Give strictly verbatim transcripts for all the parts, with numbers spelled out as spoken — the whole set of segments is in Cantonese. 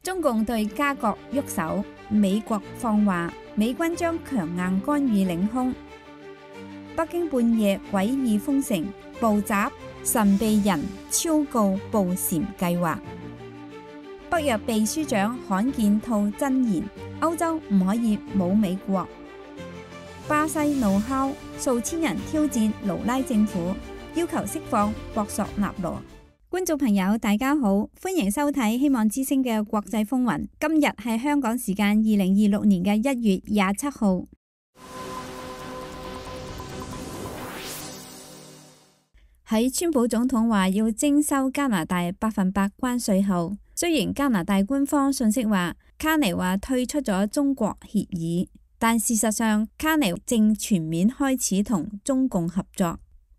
中共對加國喐手，美國放話美軍將強硬干預領空。北京半夜詭異封城，暴襲神秘人超告捕蟬計劃。北約秘書長罕見吐真言，歐洲唔可以冇美國。巴西怒敲，數千人挑戰盧拉政府，要求釋放博索納羅。觀眾朋友大家好，歡迎收睇希望之聲嘅國際風雲。今日係香港時間二零二六年嘅一月廿七號。喺川普總統話要徵收加拿大百分百關稅後，雖然加拿大官方信息話卡尼話退出咗中國協議，但事實上卡尼正全面開始同中共合作。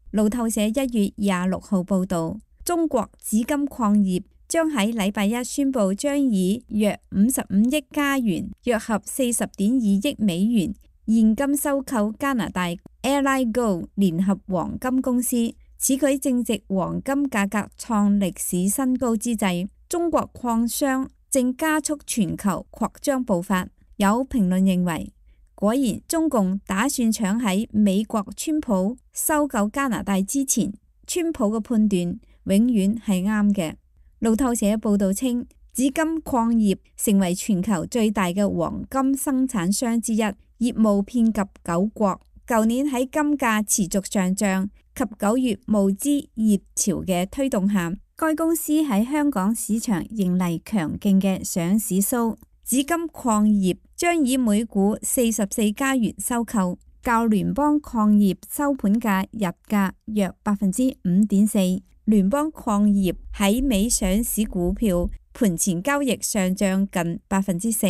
路透社一月廿六號報道，中國紫金礦業將喺禮拜一宣布將以約五十五億加元，約合四十點二億美元現金收購加拿大 Allied Gold 聯合黃金公司。此舉正值黃金價格創歷史新高之際，中國礦商正加速全球擴張步伐。有評論認為，果然中共打算搶喺美國川普收購加拿大之前，川普嘅判斷永遠係啱嘅。路透社報道稱，紫金礦業成為全球最大嘅黃金生產商之一，業務遍及九國。舊年喺金價持續上漲及九月募資熱潮嘅推動下，該公司喺香港市場迎嚟強勁嘅上市蘇。紫金礦業將以每股四十四加元收購，較聯邦礦業收盤價日價約百分之五點四。聯邦礦業喺美上市股票盤前交易上漲近百分之四。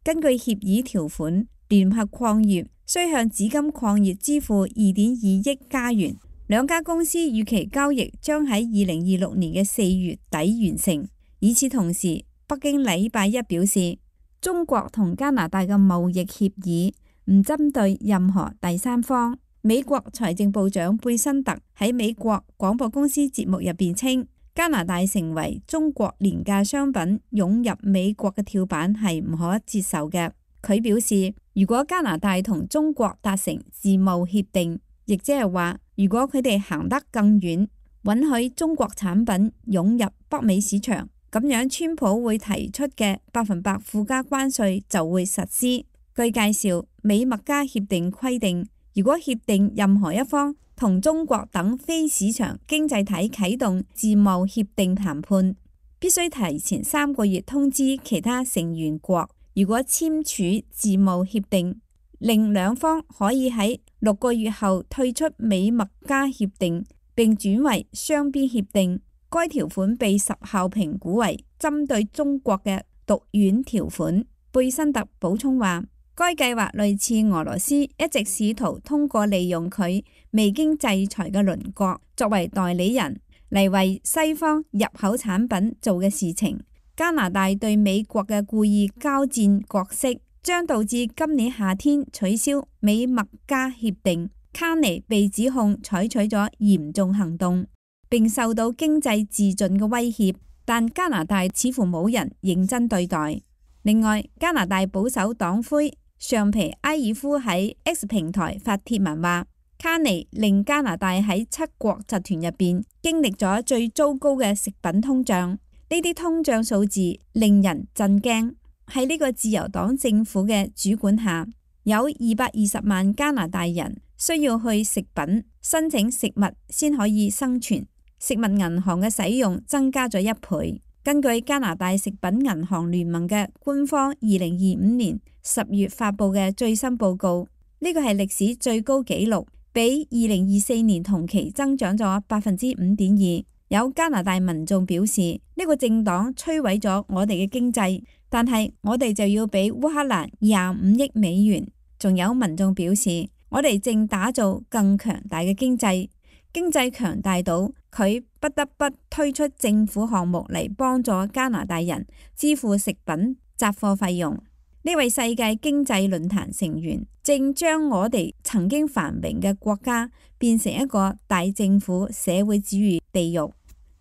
根據協議條款，聯合礦業需向紫金礦業支付二點二億加元。兩家公司預期交易將喺二零二六年嘅四月底完成。與此同時，北京禮拜一表示，中國同加拿大嘅貿易協議唔針對任何第三方。美國財政部長貝辛特喺美國廣播公司節目入邊稱，加拿大成為中國廉價商品湧入美國嘅跳板係唔可接受嘅。佢表示，如果加拿大同中國達成自貿協定，亦即係話，如果佢哋行得更遠，允許中國產品湧入北美市場，咁樣川普會提出嘅百分百附加關稅就會實施。據介紹，美墨加協定規定，如果協定任何一方同中國等非市場經濟體啟動自貿協定談判，必須提前三個月通知其他成員國。如果簽署自貿協定，令兩方可以喺六個月後退出美墨加協定並轉為雙邊協定。該條款被十效評估為針對中國嘅毒丸條款。貝辛特補充話，該計劃類似俄羅斯一直試圖通過利用佢未經制裁嘅鄰國作為代理人嚟為西方入口產品做嘅事情。加拿大對美國嘅故意交戰角色將導致今年夏天取消美墨加協定。卡尼被指控採取咗嚴重行動，並受到經濟自盡嘅威脅，但加拿大似乎冇人認真對待。另外，加拿大保守黨魁尚皮埃爾夫喺 X 平台發帖文話，卡尼令加拿大喺七國集團入邊經歷咗最糟糕嘅食品通脹。呢啲通脹數字令人震驚。喺呢個自由黨政府嘅主管下，有二百二十萬加拿大人需要去食品申請食物先可以生存。食物銀行嘅使用增加咗一倍。根據加拿大食品銀行聯盟嘅官方二零二五年十月發布嘅最新報告，呢個係歷史最高紀錄，比二零二四年同期增長咗百分之五點二。有加拿大民眾表示，呢個政黨摧毀咗我哋嘅經濟，但係我哋就要俾烏克蘭廿五億美元。仲有民眾表示，我哋正打造更強大嘅經濟，經濟強大到佢不得不推出政府項目嚟幫助加拿大人支付食品雜貨費用。呢位世界經濟論壇成員正將我哋曾經繁榮嘅國家變成一個大政府社會主義地獄。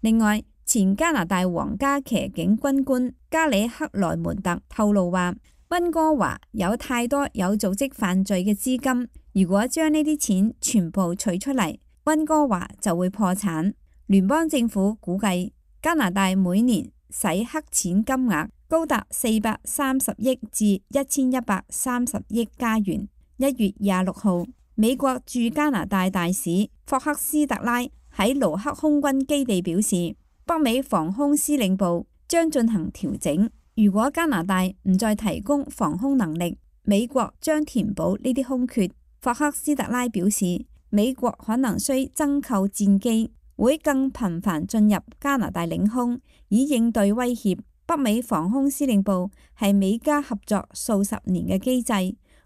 另外，前加拿大皇家騎警軍官加里克萊門特透露話，溫哥華有太多有組織犯罪嘅資金，如果將呢啲錢全部取出嚟，溫哥華就會破產。聯邦政府估計加拿大每年洗黑錢金額高達四百三十億至一千一百三十億加元。一月廿六號，美國駐加拿大大使霍克斯特拉喺盧克空軍基地表示，北美防空司令部將進行調整。如果加拿大唔再提供防空能力，美國將填補呢啲空缺。霍克斯特拉表示，美國可能需增購戰機，會更頻繁進入加拿大領空，以應對威脅。北美防空司令部係美加合作數十年嘅機制，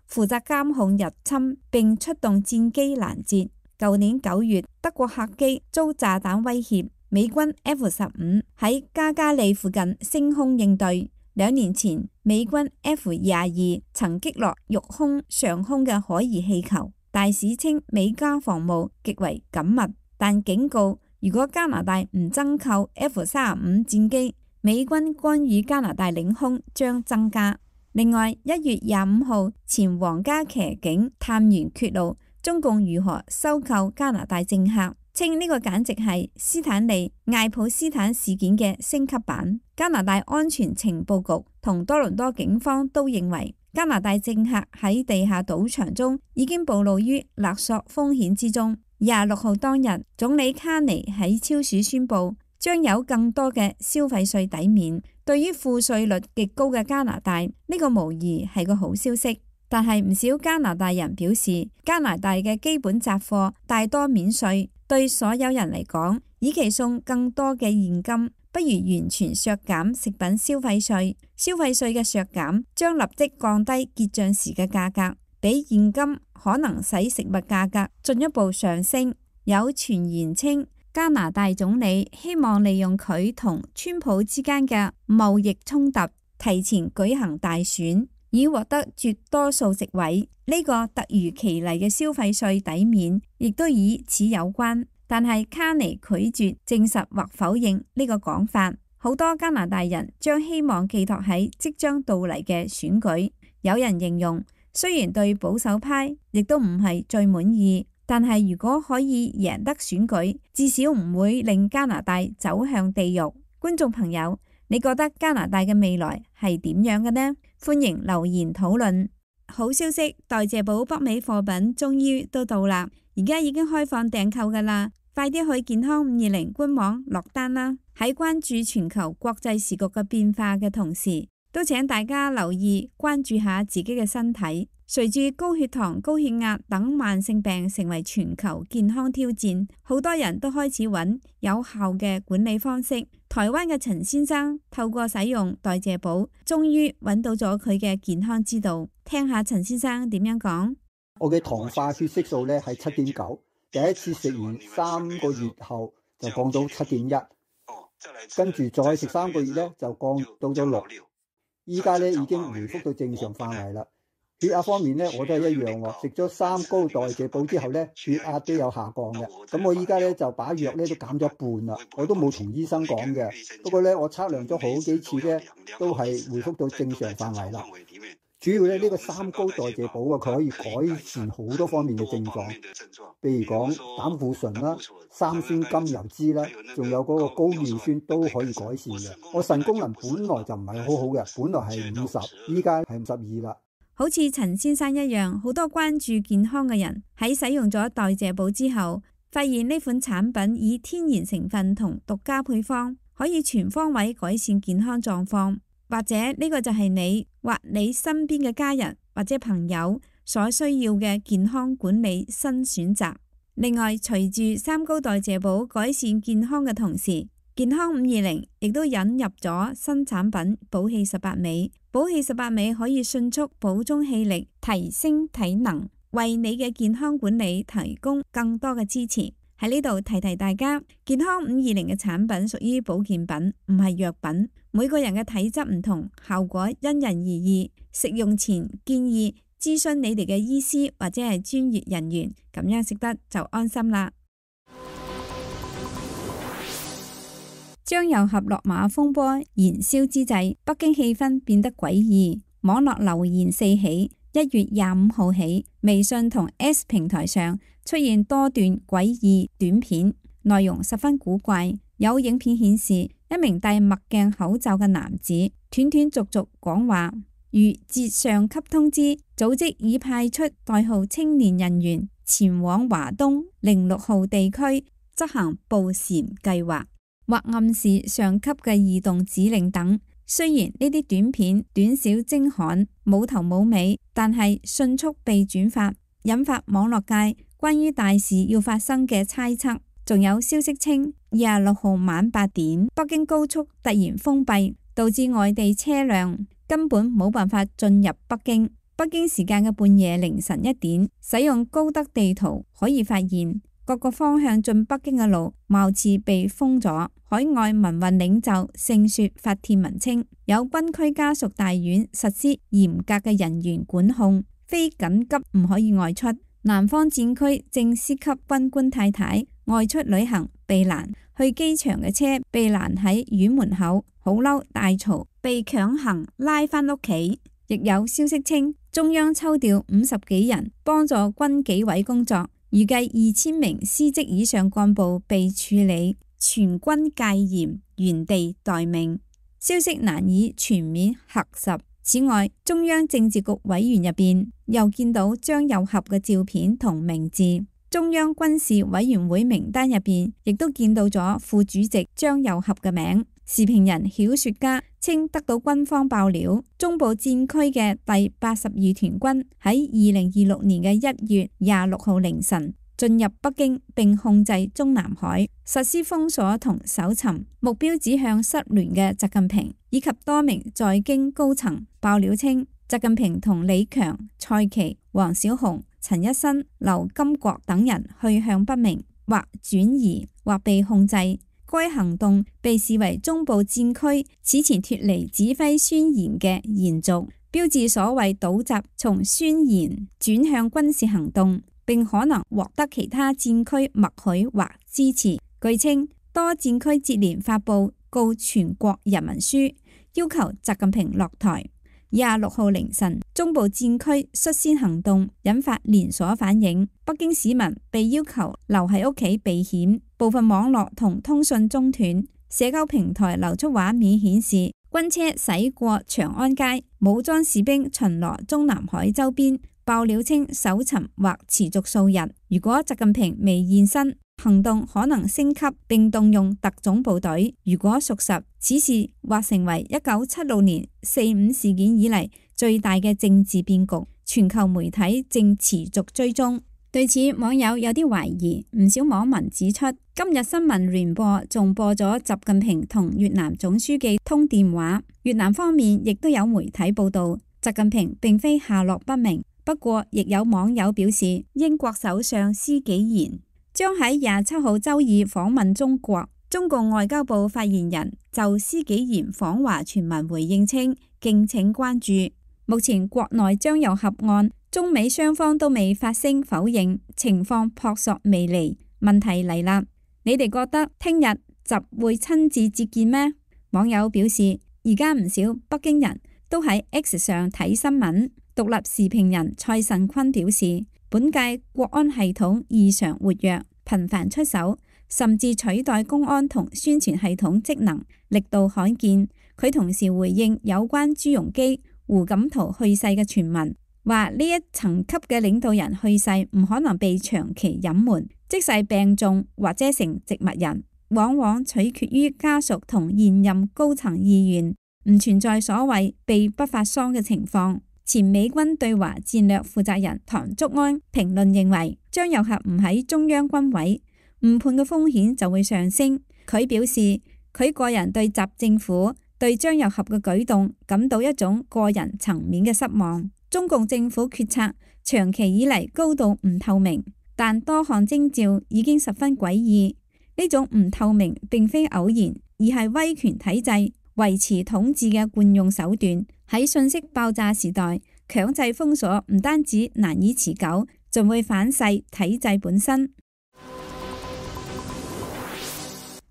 負責監控入侵並出動戰機攔截。舊年九月，德國客機遭炸彈威脅，美軍 F 十五喺加加利附近升空應對。兩年前，美軍 F 廿二曾擊落陸空上空嘅可疑氣球。大使稱美加防務極為緊密，但警告如果加拿大唔增購 F 三十五戰機，美軍干預加拿大領空將增加。另外，一月廿五號，前皇家騎警探員揭露中共如何收購加拿大政客，稱呢個簡直係斯坦利艾普斯坦事件嘅升級版。加拿大安全情報局同多倫多警方都認為，加拿大政客喺地下賭場中已經暴露於勒索風險之中。廿六號當日，總理卡尼喺超市宣布將有更多嘅消費稅抵免。對於賦稅率極高嘅加拿大，呢個無疑係個好消息。但係唔少加拿大人表示，加拿大嘅基本雜貨大多免稅，對所有人嚟講，與其送更多嘅現金，不如完全削減食品消費稅。消費稅嘅削減將立即降低結賬時嘅價格，比現金可能使食物價格進一步上升。有傳言稱，加拿大總理希望利用佢同川普之間嘅貿易衝突，提前舉行大選，以獲得絕多數席位。呢個突如其來嘅消費稅抵免，亦都與此有關。但係卡尼拒絕證實或否認呢個講法。好多加拿大人將希望寄託喺即將到嚟嘅選舉。有人形容，雖然對保守派亦都唔係最滿意，但係如果可以贏得選舉，至少唔會令加拿大走向地獄。觀眾朋友，你覺得加拿大嘅未來係點樣嘅呢？歡迎留言討論。好消息，代謝寶北美貨品終於都到啦，而家已經開放訂購噶啦，快啲去健康五二零官網落單啦！喺關注全球國際時局嘅變化嘅同時，都請大家留意關注下自己嘅身體。隨住高血糖、高血壓等慢性病成為全球健康挑戰，好多人都開始揾有效嘅管理方式。台灣嘅陳先生透過使用代謝寶，終於揾到咗佢嘅健康之道。聽下陳先生點樣講。我嘅糖化血色素咧係七點九，第一次食完三個月後就降到七點一，跟住再食三個月咧就降到咗六，依家咧已經回復到正常範圍啦。血壓方面咧，我都係一樣喎。食咗三高代謝寶之後咧，血壓都有下降嘅。咁我依家咧就把藥咧都減咗一半啦。我都冇同醫生講嘅，不過咧我測量咗好幾次咧，都係回復到正常範圍啦。主要咧呢個三高代謝寶啊，佢可以改善好多方面嘅症狀，譬如講膽固醇啦、三酸甘油酯啦，仲有嗰個高尿酸都可以改善嘅。我腎功能本來就唔係好好嘅，本來係五十，依家係五十二啦。好似陳先生一樣，好多關注健康嘅人喺使用咗代謝寶之後，發現呢款產品以天然成分同獨家配方，可以全方位改善健康狀況。或者呢個就係你或你身邊嘅家人或者朋友所需要嘅健康管理新選擇。另外，隨住三高代謝寶改善健康嘅同時，健康五二零亦都引入咗新產品寶氣十八味。寶氣十八味可以迅速補充氣力，提升體能，為你嘅健康管理提供更多嘅支持。喺呢度提提大家，健康五二零嘅產品屬於保健品，唔係藥品。每個人嘅體質唔同，效果因人而異。食用前建議諮詢你哋嘅醫師或者係專業人員，咁樣食得就安心啦。張又俠落馬風波燃燒之際，北京氣氛變得詭異，網絡流言四起。一月廿五號起，微信同 S 平台上出現多段詭異短片，內容十分古怪。有影片顯示，一名戴墨鏡口罩嘅男子斷斷續續講話，如接上級通知，組織已派出代號青年人員前往華東零六號地區執行捕蟬計劃，或暗示上級嘅異動指令等。雖然呢啲短片短小精悍，冇頭冇尾，但係迅速被轉發，引發網絡界關於大事要發生嘅猜測。仲有消息稱，廿六號晚八點，北京高速突然封閉，導致外地車輛根本冇辦法進入北京。北京時間嘅半夜凌晨一點，使用高德地圖可以發現，各個方向進北京嘅路貌似被封咗。海外民運領袖盛雪發帖文稱，有軍區家屬大院實施嚴格嘅人員管控，非緊急唔可以外出。南方戰區正司級軍官太太外出旅行被攔，去機場嘅車被攔喺院門口，好嬲大嘈，被強行拉返屋企。亦有消息稱，中央抽調五十幾人幫助軍紀委工作，預計二千名司職以上幹部被處理，全軍戒嚴，原地待命。消息難以全面核實。此外，中央政治局委員入邊又見到張又俠嘅照片同名字，中央軍事委員會名單入邊亦都見到咗副主席張又俠嘅名。時評人曉雪家稱得到軍方爆料，中部戰區嘅第八十二團軍喺二零二六年嘅一月廿六號凌晨進入北京並控制中南海，實施封鎖同搜尋，目標指向失聯嘅習近平以及多名在京高層。爆料稱，習近平同李強、蔡奇、王小洪、陳一新、劉金國等人去向不明，或轉移，或被控制。該行動被視為中部戰區此前脫離指揮宣言嘅延續，標誌所謂倒習從宣言轉向軍事行動，並可能獲得其他戰區默許或支持。據稱，多戰區接連發布告全國人民書，要求習近平落台。廿六號凌晨，中部戰區率先行動，引發連鎖反應。北京市民被要求留喺屋企避險，部分網絡同通訊中斷。社交平台流出畫面顯示，軍車駛過長安街，武裝士兵巡邏中南海周邊。爆料稱，搜尋或持續數日。如果習近平未現身，行動可能升級並動用特種部隊。如果屬實，此事或成為一九七六年四五事件以嚟最大嘅政治變局。全球媒體正持續追蹤。對此，網友有啲懷疑。唔少網民指出，今日新聞聯播仲播咗習近平同越南總書記通電話。越南方面亦都有媒體報道，習近平並非下落不明。不過，亦有網友表示，英國首相施紀賢將喺廿七號周二訪問中國。中共外交部發言人就施紀賢訪華傳聞回應稱，敬請關注。目前國內張又俠案，中美雙方都未發聲否認，情況撲朔迷離。問題嚟啦，你哋覺得聽日習會親自接見咩？網友表示，而家唔少北京人都喺 X 上睇新聞。獨立時評人蔡慎坤表示，本屆國安系統異常活躍，頻繁出手，甚至取代公安同宣傳系統職能，力度罕見。佢同時回應有關朱鎔基、胡錦濤去世嘅傳聞，話呢一層級嘅領導人去世唔可能被長期隱瞞，即使病重或者成植物人，往往取決於家屬同現任高層意願，唔存在所謂被不發喪嘅情況。前美軍對華戰略負責人唐竹安評論認為，張又俠唔喺中央軍委，誤判嘅風險就會上升。佢表示，佢個人對習政府對張又俠嘅舉動感到一種個人層面嘅失望。中共政府決策長期以嚟高度唔透明，但多項徵兆已經十分詭異。呢種唔透明並非偶然，而係威權體制維持統治嘅慣用手段。喺信息爆炸時代，強制封鎖唔單止難以持久，仲會反噬體制本身。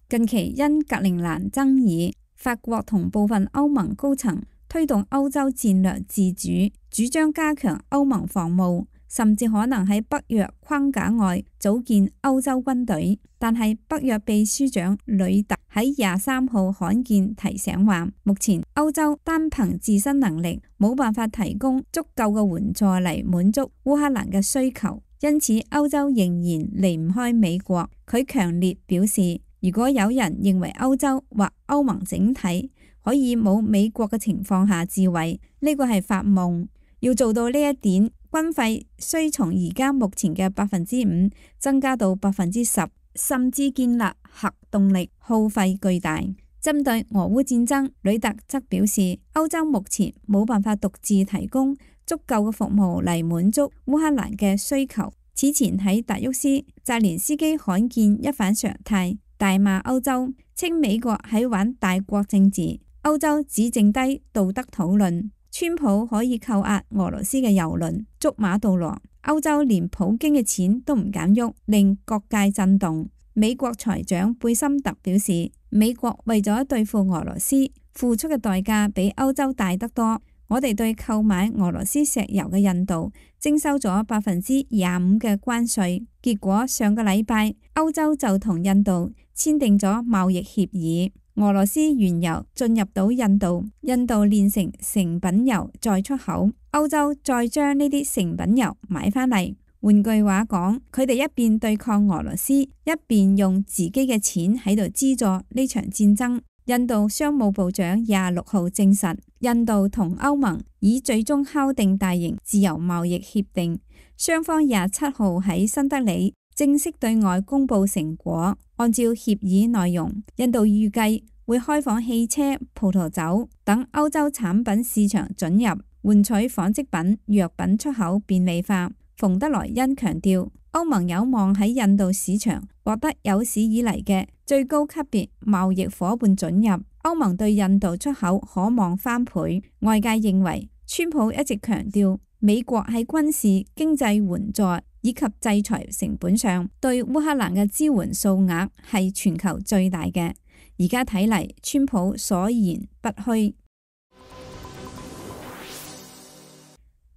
近期因格陵蘭爭議，法國同部分歐盟高層推動歐洲戰略自主，主張加強歐盟防務，甚至可能喺北約框架外組建歐洲軍隊。但係北約秘書長呂特喺廿三號罕見提醒話，目前歐洲單憑自身能力冇辦法提供足夠嘅援助嚟滿足烏克蘭嘅需求，因此歐洲仍然離唔開美國。佢強烈表示，如果有人認為歐洲或歐盟整體可以冇美國嘅情況下自衛，呢個係發夢。要做到呢一點，軍費需從而家目前嘅百分之五增加到百分之十，甚至建立核動力，耗費巨大。針對俄烏戰爭，呂特則表示，歐洲目前冇辦法獨自提供足夠嘅服務嚟滿足烏克蘭嘅需求。此前喺達沃斯，澤連斯基罕見一反常態，大罵歐洲，稱美國喺玩大國政治，歐洲只剩低道德討論。川普可以扣押俄羅斯嘅郵輪捉馬杜羅，歐洲連普京嘅錢都唔敢喐，令各界震動。美國財長貝森特表示，美國為咗對付俄羅斯付出嘅代價比歐洲大得多。我哋對購買俄羅斯石油嘅印度徵收咗百分之廿五嘅關稅，結果上個禮拜歐洲就同印度簽訂咗貿易協議。俄羅斯原油進入到印度，印度煉成成品油再出口，歐洲再將呢啲成品油買返嚟。換句話講，佢哋一邊對抗俄羅斯，一邊用自己嘅錢喺度資助呢場戰爭。印度商務部長廿六號證實，印度同歐盟已最終敲定大型自由貿易協定，雙方廿七號喺新德里正式對外公布成果。按照協議內容，印度預計會開放汽車、葡萄酒等歐洲產品市場准入，換取紡織品、藥品出口便利化。馮德萊恩強調，歐盟有望喺印度市場獲得有史以嚟嘅最高級別貿易夥伴准入，歐盟對印度出口可望翻倍。外界認為，川普一直強調美國喺軍事、經濟援助以及制裁成本上對烏克蘭嘅支援數額係全球最大嘅。而家睇嚟，川普所言不虛。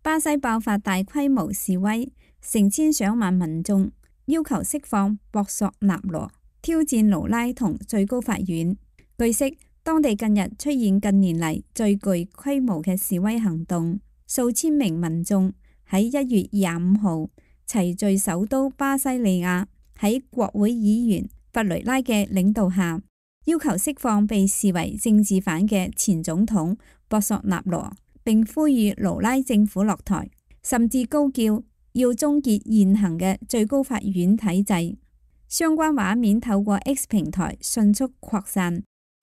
巴西爆發大規模示威，成千上萬民眾要求釋放博索納羅，挑戰盧拉同最高法院。據悉，當地近日出現近年嚟最具規模嘅示威行動，數千名民眾喺一月廿五號齊聚首都巴西利亞，喺國會議員弗雷拉嘅領導下，要求釋放被視為政治犯嘅前總統博索納羅，並呼籲盧拉政府落台，甚至高叫要終結現行嘅最高法院體制。相關畫面透過 X 平台迅速擴散，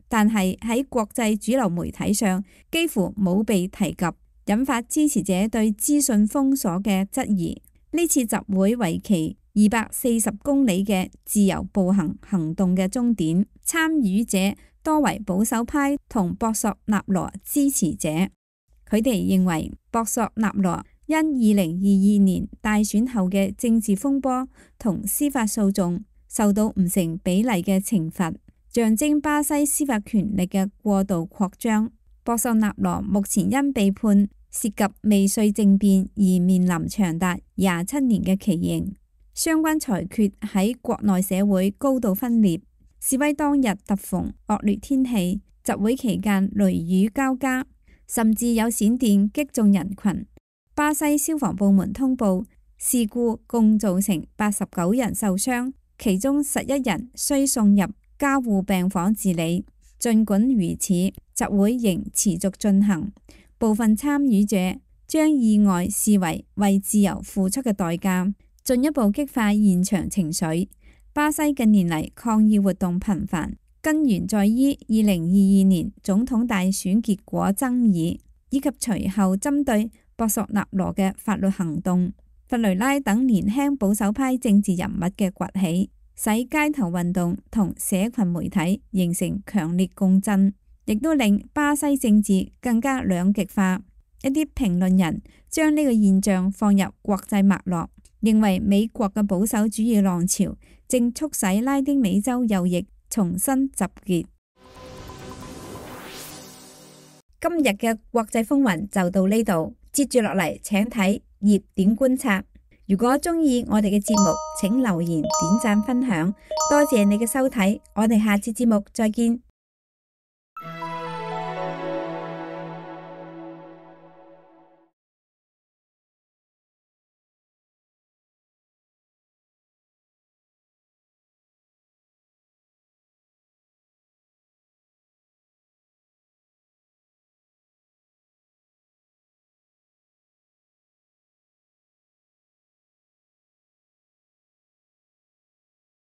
但係喺國際主流媒體上幾乎冇被提及，引發支持者對資訊封鎖嘅質疑。呢次集會為期二百四十公里嘅自由步行行動嘅終點，參與者多為保守派同博索納羅支持者。佢哋認為博索納羅因二零二二年大選後嘅政治風波同司法訴訟受到唔成比例嘅懲罰，象徵巴西司法權力嘅過度擴張。博索納羅目前因被判涉及未遂政變而面臨長達廿七年嘅期刑。相關裁決喺國內社會高度分裂。示威當日突逢惡劣天氣，集會期間雷雨交加，甚至有閃電擊中人群。巴西消防部門通報，事故共造成八十九人受傷，其中十一人需送入加護病房治理。儘管如此，集會仍持續進行。部分參與者將意外視為為自由付出嘅代價，進一步激化現場情緒。巴西近年嚟抗議活動頻繁，根源在於二零二二年總統大選結果爭議，以及隨後針對博索納羅嘅法律行動。弗雷拉等年輕保守派政治人物嘅崛起，使街頭運動同社群媒體形成強烈共振，亦都令巴西政治更加兩極化。一啲評論人將呢個現象放入國際脈絡，認為美國嘅保守主義浪潮正促使拉丁美洲右翼重新集結。今日嘅國際風雲就到呢度，接住落嚟請睇熱點觀察。如果鍾意我哋嘅節目，請留言、點讚、分享，多謝你嘅收睇，我哋下次節目再見。